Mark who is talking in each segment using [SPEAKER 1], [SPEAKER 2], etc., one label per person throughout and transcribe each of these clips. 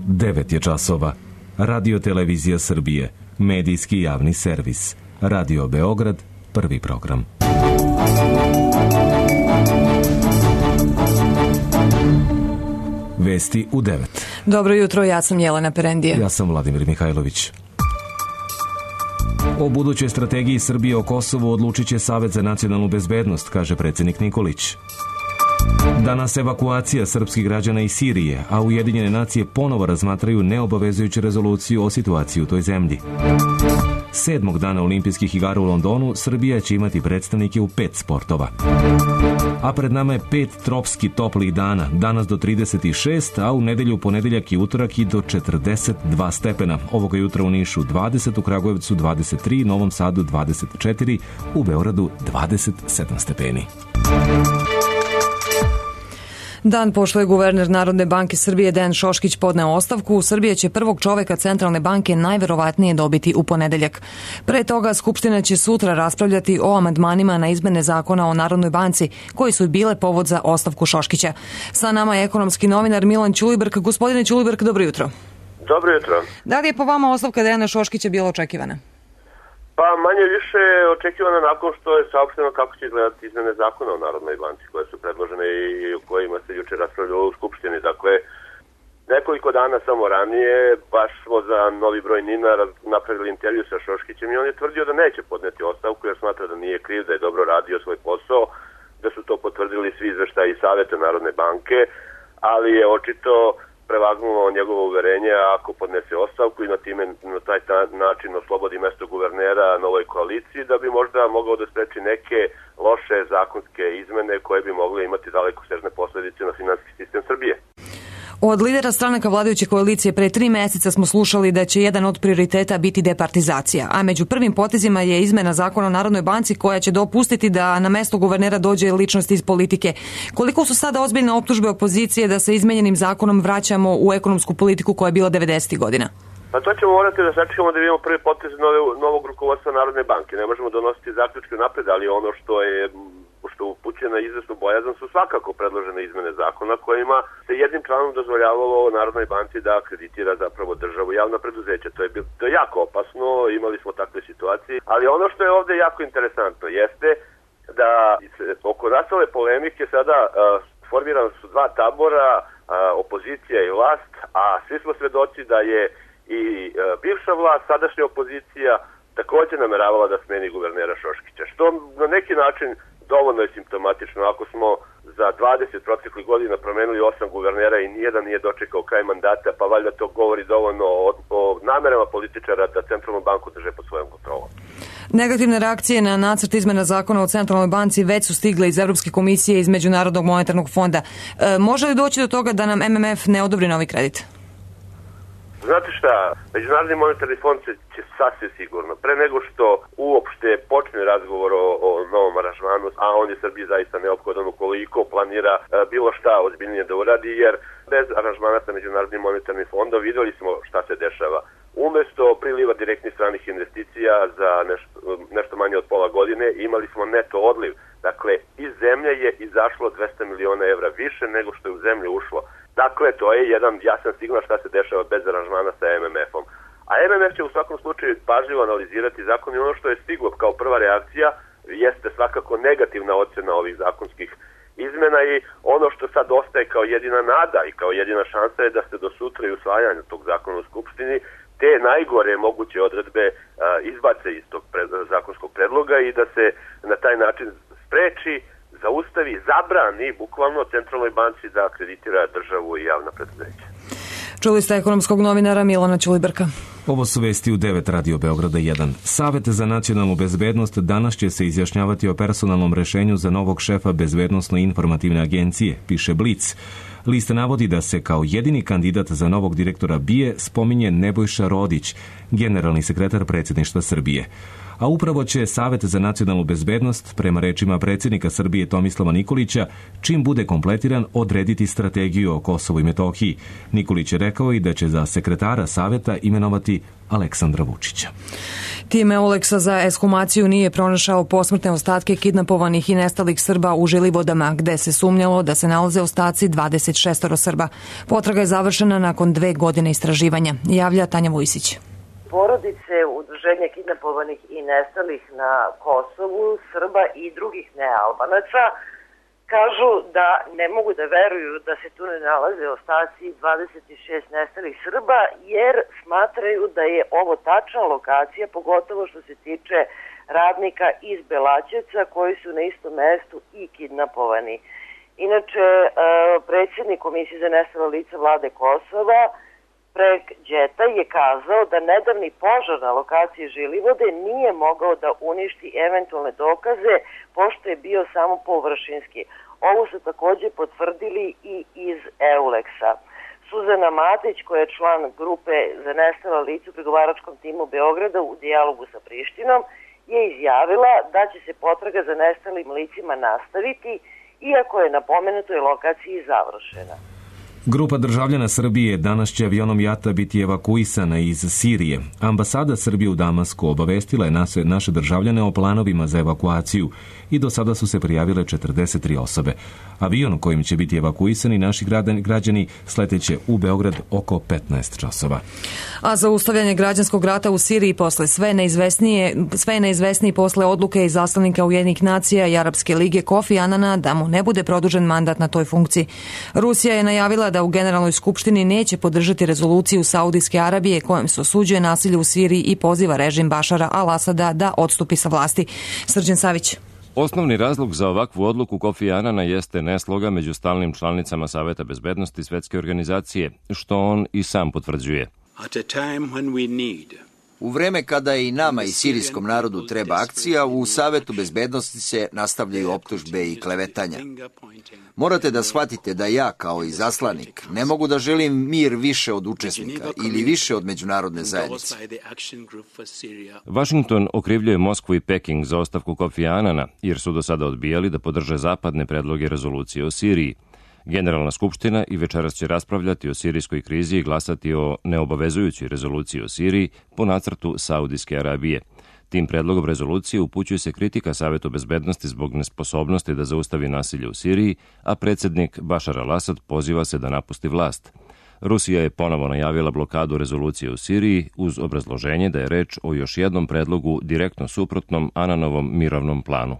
[SPEAKER 1] 9 je časova. Radio Televizija Srbije, medijski javni servis. Radio Beograd, prvi program. Vesti u 9.
[SPEAKER 2] Dobro jutro, ja sam Jelena Perendije.
[SPEAKER 1] Ja sam Vladimir Mihajlović. O budućoj strategiji Srbije o Kosovu odlučit će Savet za nacionalnu bezbednost, kaže predsjednik Nikolić. Danas evakuacija srpskih građana iz Sirije, a Ujedinjene nacije ponovo razmatraju neobavezujuću rezoluciju o situaciji u toj zemlji. 7. dana olimpijskih igara u Londonu Srbija će imati predstavnike u 5 sportova. A pred nama je 5 tropski toplih dana, danas do 36, a u nedelju, ponedjeljak i utorak i do 42 stepena. Ovoga jutra u Nišu 20, u Kragujevcu 23, Novom Sadu 24, u Beogradu 27 stepeni.
[SPEAKER 2] Dan pošto je guverner Narodne banke Srbije Dejan Šoškić podneo ostavku, Srbija će prvog čoveka Centralne banke najverovatnije dobiti u ponedeljak. Pre toga Skupština će sutra raspravljati o amandmanima na izmene zakona o Narodnoj banci, koji su bile povod za ostavku Šoškića. Sa nama je ekonomski novinar Milan Ćulibrk. Gospodine Ćulibrk, dobro jutro.
[SPEAKER 3] Dobro jutro.
[SPEAKER 2] Da li je po vama ostavka Dejana Šoškića bila očekivana?
[SPEAKER 3] Pa manje više očekivano nakon što je saopšteno kako će izgledati izmene zakona o Narodnoj banci koje su predložene i o kojima se juče raspravljalo u Skupštini. Dakle, nekoliko dana samo ranije baš smo za Novi broj NIN-a napravili intervju sa Šoškićem i on je tvrdio da neće podneti ostavku jer smatra da nije kriv, da je dobro radio svoj posao, da su to potvrdili svi izveštaji Saveta Narodne banke, ali je očito prevagnulo njegovo uverenje ako podnese ostavku i na taj način oslobodi mesto guvernera novoj koaliciji, da bi možda mogao da spreči neke loše zakonske izmene koje bi mogle imati dalekosežne posledice na finansijski sistem Srbije.
[SPEAKER 2] Od lidera stranaka vladajuće koalicije pre 3 meseca smo slušali da će jedan od prioriteta biti departizacija, a među prvim potezima je izmena zakona o Narodnoj banci koja će dopustiti da na mesto guvernera dođe ličnost iz politike. Koliko su sada ozbiljne optužbe opozicije da sa izmenjenim zakonom vraćamo u ekonomsku politiku koja je bila 90. godina?
[SPEAKER 3] Pa to ćemo morati da sačekamo da vidimo prvi potez novog rukovodstva Narodne banke. Ne možemo donositi zaključke napred, ali ono što upućuje na izvesnu bojazan su svakako predložene izmene zakona kojima se jednim članom dozvoljavalo Narodnoj banci da akreditira zapravo državu javna preduzeća. To je jako opasno, imali smo takve situacije, ali ono što je ovdje jako interesantno jeste da oko nastale polemike sada formirana su 2 tabora, opozicija i vlast, a svi smo svedoci da je i bivša vlast, sadašnja opozicija također nameravala da smeni guvernera Šoškića, što na neki način dovoljno je simptomatično. Ako smo za 20 proteklih godina promenili 8 guvernera i nijedan nije dočekao kraj mandata, pa valjda to govori dovoljno o namerama političara da Centralnu banku drže pod svojom kontrolom.
[SPEAKER 2] Negativne reakcije na nacrt izmena zakona o Centralnoj banci već su stigle iz Evropske komisije i iz Međunarodnog monetarnog fonda. Može li doći do toga da nam MMF ne odobri novi kredit?
[SPEAKER 3] Znate šta, Međunarodni monetarni fond će sasvim sigurno, pre nego što uopšte počne razgovor o novom aranžmanu, a on je Srbiji zaista neophodan ukoliko planira bilo šta ozbiljnije da uradi, jer bez aranžmana sa Međunarodnim monetarnim fondom vidjeli smo šta se dešava. Umesto priliva direktnih stranih investicija za nešto manje od pola godine imali smo neto odliv. Dakle, iz zemlje je izašlo 200 miliona evra više nego što je u zemlju ušlo. Dakle, to je jedan jasan signal šta se dešava bez aranžmana sa MMF-om. A MMF će u svakom slučaju pažljivo analizirati zakon i ono što je stiglo kao prva reakcija jeste svakako negativna ocjena ovih zakonskih izmena i ono što sad ostaje kao jedina nada i kao jedina šansa je da se do sutra i usvajanja tog zakona u Skupštini te najgore moguće odredbe izbace iz tog zakonskog predloga i da se na taj način spreči, zaustavi, zabrani bukvalno Centralnoj banci da akreditira državu i javna preduzeća.
[SPEAKER 2] Čuli ste ekonomskog novinara Milana Ćulibrka.
[SPEAKER 1] Ovo su vesti u 9 Radio Beograda 1. Savet za nacionalnu bezbednost danas će se izjašnjavati o personalnom rešenju za novog šefa Bezbednosno-informativne agencije, piše Blic. Lista navodi da se kao jedini kandidat za novog direktora BIA spominje Nebojša Rodić, generalni sekretar predsjedništva Srbije. a upravo će Savet za nacionalnu bezbednost, prema rečima predsjednika Srbije Tomislava Nikolića, čim bude kompletiran, odrediti strategiju o Kosovu i Metohiji. Nikolić je rekao i da će za sekretara Saveta imenovati Aleksandra Vučića.
[SPEAKER 2] Tim Euleksa za ekshumaciju nije pronašao posmrtne ostatke kidnapovanih i nestalih Srba u Žilivodama, gde se sumnjalo da se nalaze ostaci 26 Srba. Potraga je završena nakon 2 godine istraživanja, javlja Tanja Vujsić.
[SPEAKER 4] Porodice udruženja kidnapovanih i nestalih na Kosovu, Srba i drugih nealbanaca kažu da ne mogu da veruju da se tu ne nalaze ostaci 26 nestalih Srba, jer smatraju da je ovo tačna lokacija, pogotovo što se tiče radnika iz Belaćevca koji su na istom mestu i kidnapovani. Inače, predsjednik Komisije za nestala lica Vlade Kosova, Prek Đeta, je kazao da nedavni požar na lokaciji Žilivode nije mogao da uništi eventualne dokaze, pošto je bio samo površinski. Ovo su također potvrdili i iz Euleksa. Suzana Matić, koja je član grupe za nestala lica u pregovaračkom timu Beograda u dijalogu sa Prištinom, je izjavila da će se potraga za nestalim licima nastaviti, iako je na pomenutoj lokaciji završena.
[SPEAKER 1] Grupa državljana Srbije danas će avionom JAT-a biti evakuisana iz Sirije. Ambasada Srbije u Damasku obavestila je naše državljane o planovima za evakuaciju i do sada su se prijavile 43 osobe. Avion kojim će biti evakuisani naši građani sleteće u Beograd oko 15 časova.
[SPEAKER 2] A zaustavljanje građanskog rata u Siriji posle sve je neizvesniji posle odluke izaslanika Ujedinjenih nacija i Arapske lige Kofi Anana da mu ne bude produžen mandat na toj funkciji. Rusija je najavila da u Generalnoj skupštini neće podržati rezoluciju Saudijske Arabije kojom se osuđuje nasilje u Siriji i poziva režim Bašara al-Asada da odstupi sa vlasti. Srđan Savić.
[SPEAKER 5] Osnovni razlog za ovakvu odluku Kofi Anana jeste nesloga među stalnim članicama Saveta bezbednosti Svetske organizacije, što on i sam potvrđuje.
[SPEAKER 6] U vreme kada i nama i sirijskom narodu treba akcija, u Savetu bezbednosti se nastavljaju optužbe i klevetanja. Morate da shvatite da ja, kao izaslanik, ne mogu da želim mir više od učesnika ili više od međunarodne zajednice.
[SPEAKER 5] Washington okrivljuje Moskvu i Peking za ostavku Kofi Anana, jer su do sada odbijali da podrže zapadne predloge rezolucije o Siriji. Generalna skupština i večeras će raspravljati o sirijskoj krizi i glasati o neobavezujućoj rezoluciji o Siriji po nacrtu Saudijske Arabije. Tim predlogom rezolucije upućuje se kritika Savetu bezbednosti zbog nesposobnosti da zaustavi nasilje u Siriji, a predsjednik Bašar al-Asad poziva se da napusti vlast. Rusija je ponovo najavila blokadu rezolucije u Siriji uz obrazloženje da je reč o još jednom predlogu direktno suprotnom Ananovom mirovnom planu.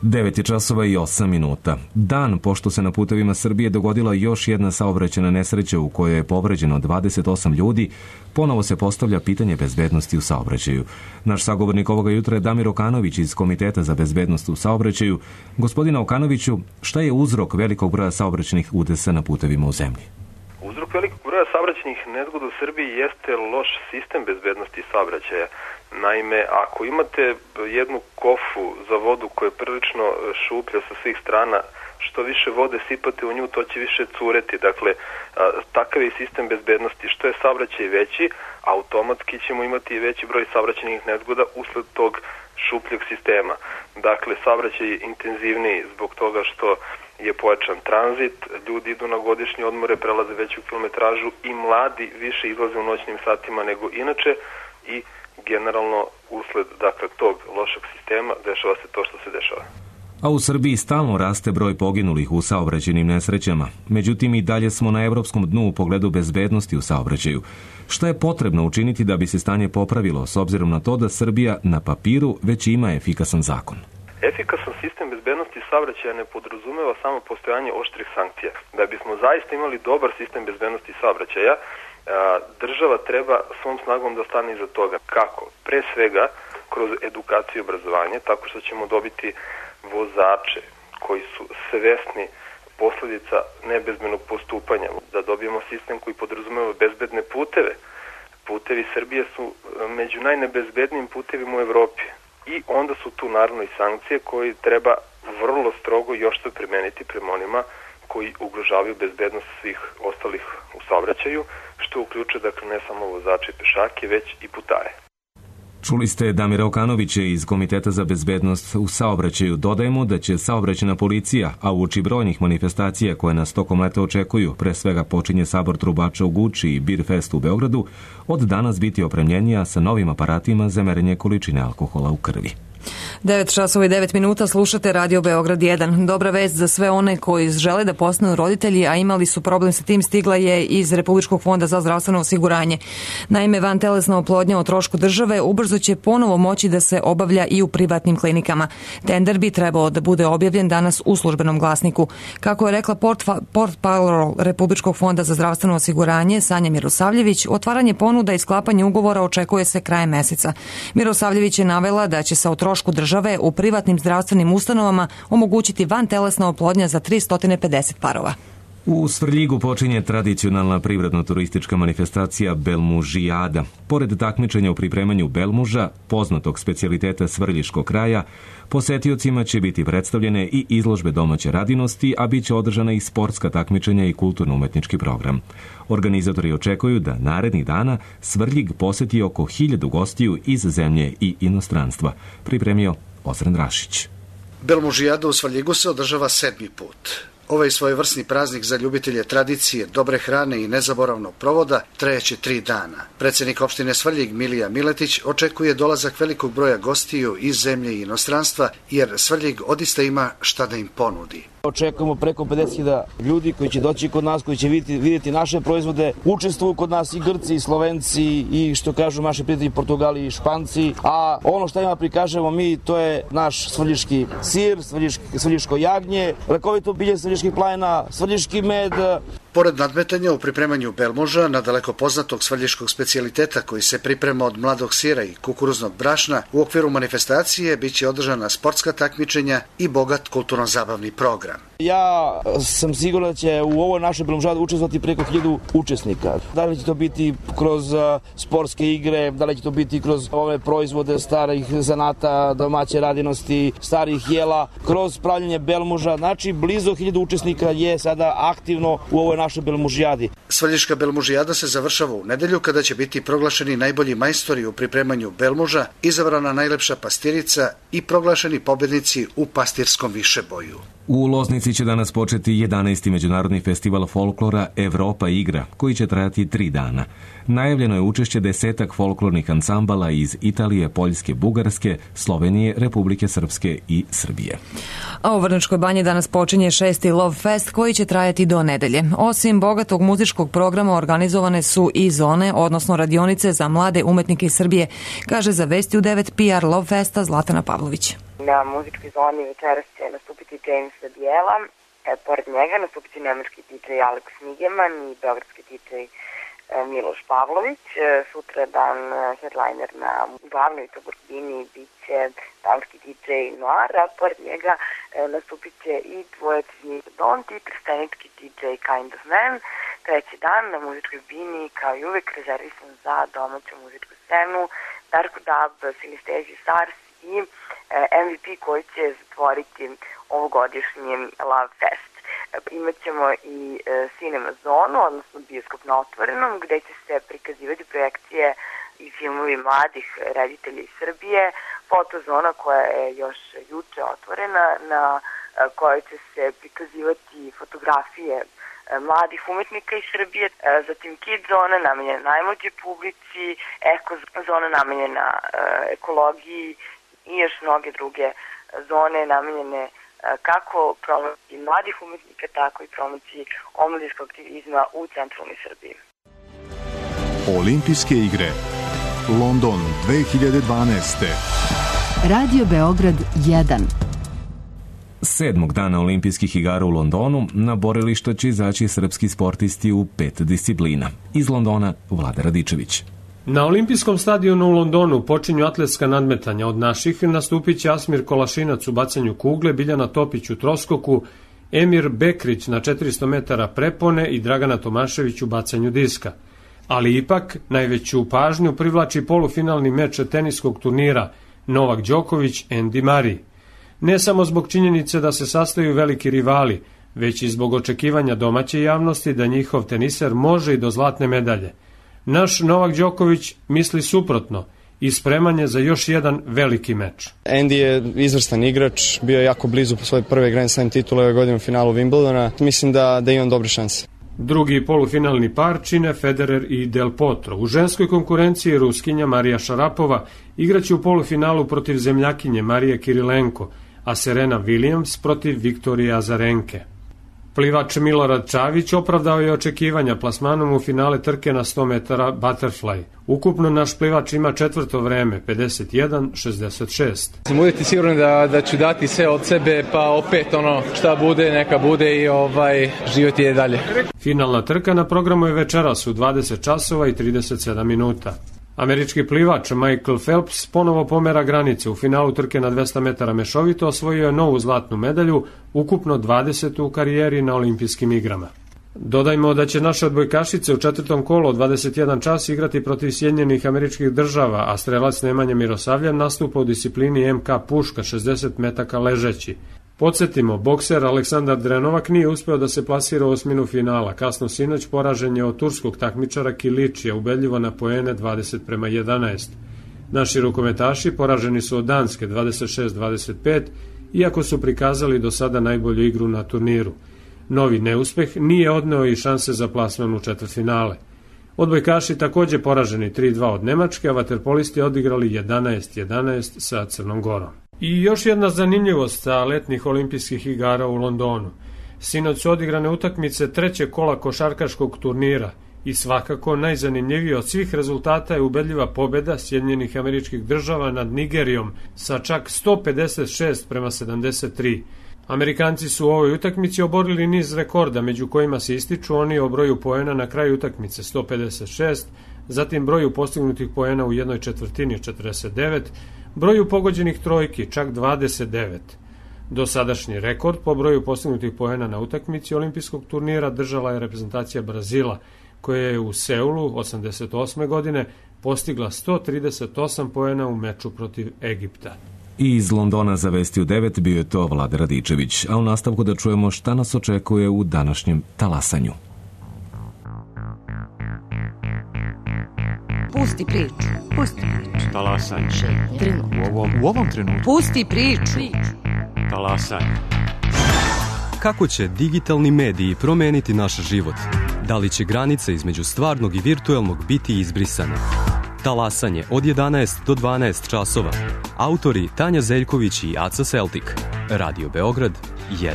[SPEAKER 1] 9 časova i 8 minuta. Dan pošto se na putevima Srbije dogodila još jedna saobraćajna nesreća u kojoj je povređeno 28 ljudi, ponovo se postavlja pitanje bezbednosti u saobraćaju. Naš sagovornik ovoga jutra je Damir Okanović iz Komiteta za bezbednost u saobraćaju. Gospodine Okanoviću, šta je uzrok velikog broja saobraćajnih udesa na putevima u zemlji?
[SPEAKER 7] Uzrok velikog broja saobraćajnih nezgoda u Srbiji jeste loš sistem bezbednosti saobraćaja. Naime, ako imate jednu kofu za vodu koja je prilično šuplja sa svih strana, što više vode sipate u nju, to će više cureti. Dakle, takav je sistem bezbednosti. Što je saobraćaj veći, automatski ćemo imati veći broj saobraćajnih nezgoda usled tog šupljeg sistema. Dakle, saobraćaj je intenzivniji zbog toga što je pojačan tranzit, ljudi idu na godišnje odmore, prelaze veću kilometražu i mladi više izlaze u noćnim satima nego inače i generalno usled tog lošeg sistema dešava se to što se dešava.
[SPEAKER 1] A u Srbiji stalno raste broj poginulih u saobraćajnim nesrećama. Međutim, i dalje smo na evropskom dnu u pogledu bezbednosti u saobraćaju. Šta je potrebno učiniti da bi se stanje popravilo, s obzirom na to da Srbija na papiru već ima efikasan zakon?
[SPEAKER 7] Efikasan sistem bezbednosti saobraćaja ne podrazumeva samo postojanje oštrih sankcija. Da bismo zaista imali dobar sistem bezbednosti saobraćaja, država treba svom snagom da stane iza toga. Kako? Pre svega kroz edukaciju i obrazovanje, tako što ćemo dobiti vozače koji su svesni posljedica nebezbednog postupanja, da dobijemo sistem koji podrazumeva bezbedne puteve. Putevi Srbije su među najnebezbednijim putevima u Evropi. I onda su tu naravno i sankcije koje treba vrlo strogo još to primeniti prema onima koji ugrožavaju bezbednost svih ostalih u saobraćaju, što uključuje dakle ne samo vozače i pešake, već i putare.
[SPEAKER 1] Čuli ste Damira Okanovića iz Komiteta za bezbednost u saobraćaju. Dodajemo da će saobraćajna policija, a uoči brojnih manifestacija koje nas tokom leta očekuju, pre svega počinje sabor trubača u Guči i Beer Fest u Beogradu, od danas biti opremljenija sa novim aparatima za merenje količine alkohola u krvi.
[SPEAKER 2] 9 časova i 9 minuta, slušate Radio Beograd 1. Dobra vest za sve one koji žele da postanu roditelji, a imali su problem sa tim, stigla je iz Republičkog fonda za zdravstveno osiguranje. Naime, vantelesna oplodnja o trošku države ubrzo će ponovo moći da se obavlja i u privatnim klinikama. Tender bi trebao da bude objavljen danas u Službenom glasniku. Kako je rekla portparol Republičkog fonda za zdravstveno osiguranje Sanja Mirosavljević, otvaranje ponuda i sklapanje ugovora očekuje se krajem meseca. Mirosavljević je navela da će se o trošku države u privatnim zdravstvenim ustanovama omogućiti vantelesna oplodnja za 350 parova.
[SPEAKER 1] U Svrljigu počinje tradicionalna privredno-turistička manifestacija Belmužijada. Pored takmičenja u pripremanju belmuža, poznatog specijaliteta svrljiškog kraja, posetiocima će biti predstavljene i izložbe domaće radinosti, a bit će održana i sportska takmičenja i kulturno-umetnički program. Organizatori očekuju da narednih dana Svrljig poseti oko 1000 gostiju iz zemlje i inostranstva, pripremio Ozren Rašić.
[SPEAKER 8] Belmužijada u Svrljigu se održava 7. put. Ovaj svojevrsni praznik za ljubitelje tradicije, dobre hrane i nezaboravnog provoda trajeće 3 dana. Predsednik opštine Svrljig Milija Miletić očekuje dolazak velikog broja gostiju iz zemlje i inostranstva, jer Svrljig odista ima šta da im ponudi.
[SPEAKER 9] Očekujemo preko 50.000 ljudi koji će doći kod nas, koji će vidjeti naše proizvode. Učestvuju kod nas i Grci, i Slovenci, i što kažu naši prijatelji Portugali i Španci. A ono što ima prikažemo mi, to je naš svrljiški sir, svrljiško jagnje, lekovito bilje svrljiških planina, svrljiški med.
[SPEAKER 8] Pored nadmetanja u pripremanju belmuža, na daleko poznatog svrljiškog specijaliteta koji se priprema od mladog sira i kukuruznog brašna, u okviru manifestacije biće održana sportska takmičenja i bogat kulturno-zabavni program.
[SPEAKER 9] Ja sam siguran da će u ovoj našoj belmužadi učestvovati preko 1000 učesnika. Da li će to biti kroz sportske igre, da li će to biti kroz ove proizvode starih zanata, domaće radinosti, starih jela, kroz pravljenje belmuža. Znači, blizu 1000 učesnika je sada aktivno u ovoj našoj belmužijadi.
[SPEAKER 8] Svrljiška belmužijada se završava u nedelju kada će biti proglašeni najbolji majstori u pripremanju belmuža, izabrana najlepša pastirica i proglašeni pobednici u pastirskom višeboju.
[SPEAKER 1] U Loznici će danas početi 11. međunarodni festival folklora Evropa igra, koji će trajati 3 dana. Najavljeno je učešće 10 folklornih ansambala iz Italije, Poljske, Bugarske, Slovenije, Republike Srpske i Srbije.
[SPEAKER 2] A u Vrnjačkoj banji danas počinje 6. Love Fest koji će trajati do nedelje. Osim bogatog muzičkog programa organizovane su i zone, odnosno radionice za mlade umetnike iz Srbije, kaže za Vesti u 9 PR Love Festa Zlatana Pavlović.
[SPEAKER 10] Na muzičkoj zoni večeras će nastupiti James Bijela, pored njega nastupiti nemački DJ Alex Nigeman i beogradski DJ Miloš Pavlović. Sutra dan headliner na glavnoj turbini bit će danski DJ Noir, a pored njega nastupit će i dvojac iz Don't i trstenički DJ Kind of Man. Treći dan na muzičkoj bini, kao i uvek, rezervisan za domaću muzičku scenu, Darko Dub, Synesthesia Stars i MVP koji će zatvoriti ovogodišnji Love Fest. Imaćemo i Cinema zonu, odnosno bioskop na otvorenom, gde će se prikazivati projekcije i filmovi mladih reditelja iz Srbije, fotozona koja je još juče otvorena, na kojoj će se prikazivati fotografije mladih umetnika iz Srbije, zatim Kid zona namenjena najmlađoj publici, Eko zona namenjena ekologiji i još mnoge druge zone namenjene kako promociji mladih umetnika, tako i promociji omladinskog aktivizma u centralnoj Srbiji.
[SPEAKER 11] Olimpijske igre London 2012.
[SPEAKER 12] Radio Beograd 1.
[SPEAKER 1] 7. dana olimpijskih igara u Londonu na borilišta će izaći srpski sportisti u 5 disciplina. Iz Londona Vlada Radičević.
[SPEAKER 13] Na olimpijskom stadionu u Londonu počinju atletska nadmetanja. Od naših nastupit će Asmir Kolašinac u bacanju kugle, Biljana Topić u troskoku, Emir Bekrić na 400 metara prepone i Dragana Tomašević u bacanju diska. Ali ipak najveću pažnju privlači polufinalni meč teniskog turnira Novak Đoković, Andy Murray. Ne samo zbog činjenice da se sastaju veliki rivali, već i zbog očekivanja domaće javnosti da njihov teniser može i do zlatne medalje. Naš Novak Đoković misli suprotno i spreman je za još jedan veliki meč.
[SPEAKER 14] Andy je izvrstan igrač, bio je jako blizu po svoje prve Grand Slam titule ove godine u finalu Wimbledona. Mislim da imam dobre šanse.
[SPEAKER 13] Drugi polufinalni par čine Federer i Del Potro. U ženskoj konkurenciji Ruskinja Marija Šarapova igraće u polufinalu protiv zemljakinje Marije Kirilenko, a Serena Williams protiv Viktorije Azarenke. Plivač Milorad Čavić opravdao je očekivanja plasmanom u finale trke na 100 metara butterfly. Ukupno naš plivač ima četvrto vreme, 51:66.
[SPEAKER 15] Sam uvijek siguran da ću dati sve od sebe, pa opet šta bude, neka bude i život je dalje.
[SPEAKER 13] Finalna trka na programu je večeras u 20 časova i 37 minuta. Američki plivač Michael Phelps ponovo pomera granice. U finalu trke na 200 metara mešovito osvojio je novu zlatnu medalju, ukupno 20. u karijeri na olimpijskim igrama. Dodajmo da će naše odbojkašice u četvrtom kolu od 21 čas igrati protiv Sjedinjenih Američkih Država, a strelac Nemanja Mirosavljev nastupa u disciplini MK puška 60 metaka ležeći. Podsjetimo, bokser Aleksandar Drenovak nije uspeo da se plasira u osminu finala. Kasno sinoć poražen je od turskog takmičara Kiličija, ubedljivo na poene 20:11. Naši rukometaši poraženi su od Danske 26-25, iako su prikazali do sada najbolju igru na turniru. Novi neuspeh nije odneo i šanse za plasman u četvrtfinale. Odbojkaši takođe poraženi 3-2 od Nemačke, a vaterpolisti odigrali 11-11 sa Crnom Gorom. I još jedna zanimljivost sa letnjih olimpijskih igara u Londonu. Sinoć su odigrane utakmice trećeg kola košarkaškog turnira i svakako najzanimljivije od svih rezultata je ubedljiva pobeda Sjedinjenih Američkih Država nad Nigerijom sa čak 156:73. Amerikanci su u ovoj utakmici oborili niz rekorda, među kojima se ističu oni o broju poena na kraju utakmice 156, zatim broju postignutih poena u jednoj četvrtini 49, broju pogođenih trojki čak 29. Dosadašnji rekord po broju postignutih poena na utakmici olimpijskog turnira držala je reprezentacija Brazila, koja je u Seulu 88. godine postigla 138 poena u meču protiv Egipta.
[SPEAKER 1] I iz Londona za Vesti u 9 bio je to Vlade Radičević, a u nastavku da čujemo šta nas očekuje u današnjem talasanju.
[SPEAKER 16] Pusti priču. Pusti priču.
[SPEAKER 17] Talasanje.
[SPEAKER 16] U
[SPEAKER 17] ovom trenutku.
[SPEAKER 16] Pusti priču.
[SPEAKER 17] Talasanje. Kako će digitalni mediji promeniti naš život? Da li će granice između stvarnog i virtuelnog biti izbrisane? Talasanje od 11 do 12 časova. Autori Tanja Zeljković i Aca Seltik. Radio Beograd 1.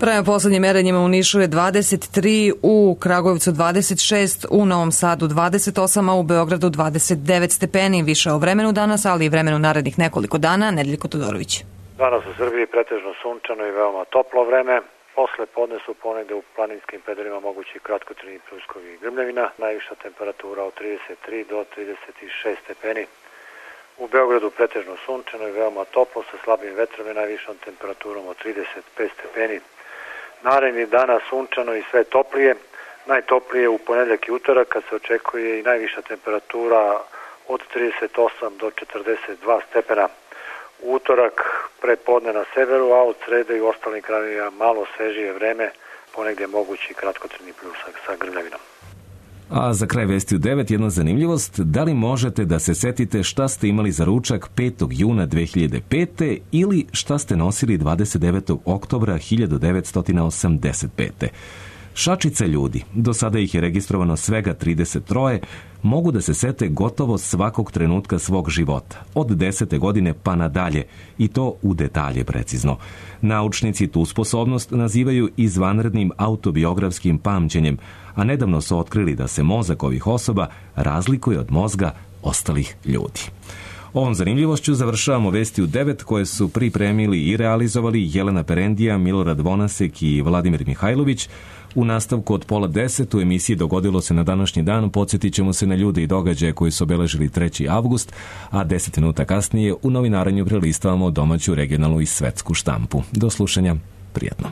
[SPEAKER 2] Prema poslednjim merenjima u Nišu je 23, u Kragujevcu 26, u Novom Sadu 28, a u Beogradu 29 stepeni. Više o vremenu danas, ali i vremenu narednih nekoliko dana. Nedeljko Todorović.
[SPEAKER 18] Danas u Srbiji pretežno sunčano i veoma toplo vreme. Posle podne su ponegde u planinskim predorima mogući kratkotrajni pljuskovi i grmljavina. Najviša temperatura od 33 do 36 stepeni. U Beogradu pretežno sunčano i veoma toplo sa slabim vetrom i najvišom temperaturom od 35 stepeni. Naredni dana sunčano i sve toplije. Najtoplije u ponedeljak i utorak kad se očekuje i najviša temperatura od 38 do 42 stepena. U utorak prepodne na severu, a od srede i u ostalim krajevima malo svežije vreme, ponegdje mogući kratkotrajni pljusak sa grmljavinom.
[SPEAKER 1] A za kraj Vesti u 9 jedna zanimljivost. Da li možete da se setite šta ste imali za ručak 5. juna 2005. ili šta ste nosili 29. oktobra 1985. Šačice ljudi, do sada ih je registrovano svega 33, mogu da se sete gotovo svakog trenutka svog života, od 10. godine pa nadalje, i to u detalje precizno. Naučnici tu sposobnost nazivaju izvanrednim autobiografskim pamćenjem, a nedavno su otkrili da se mozak ovih osoba razlikuje od mozga ostalih ljudi. Ovom zanimljivošću završavamo Vesti u 9 koje su pripremili i realizovali Jelena Perendija, Milorad Vonasek i Vladimir Mihajlović. U nastavku od 9:30 u emisiji Dogodilo se na današnji dan podsjetit ćemo se na ljude i događaje koji su obeležili 3. avgust, a 10 minuta kasnije u novinaranju prelistavamo domaću, regionalnu i svetsku štampu. Do slušanja, prijatno.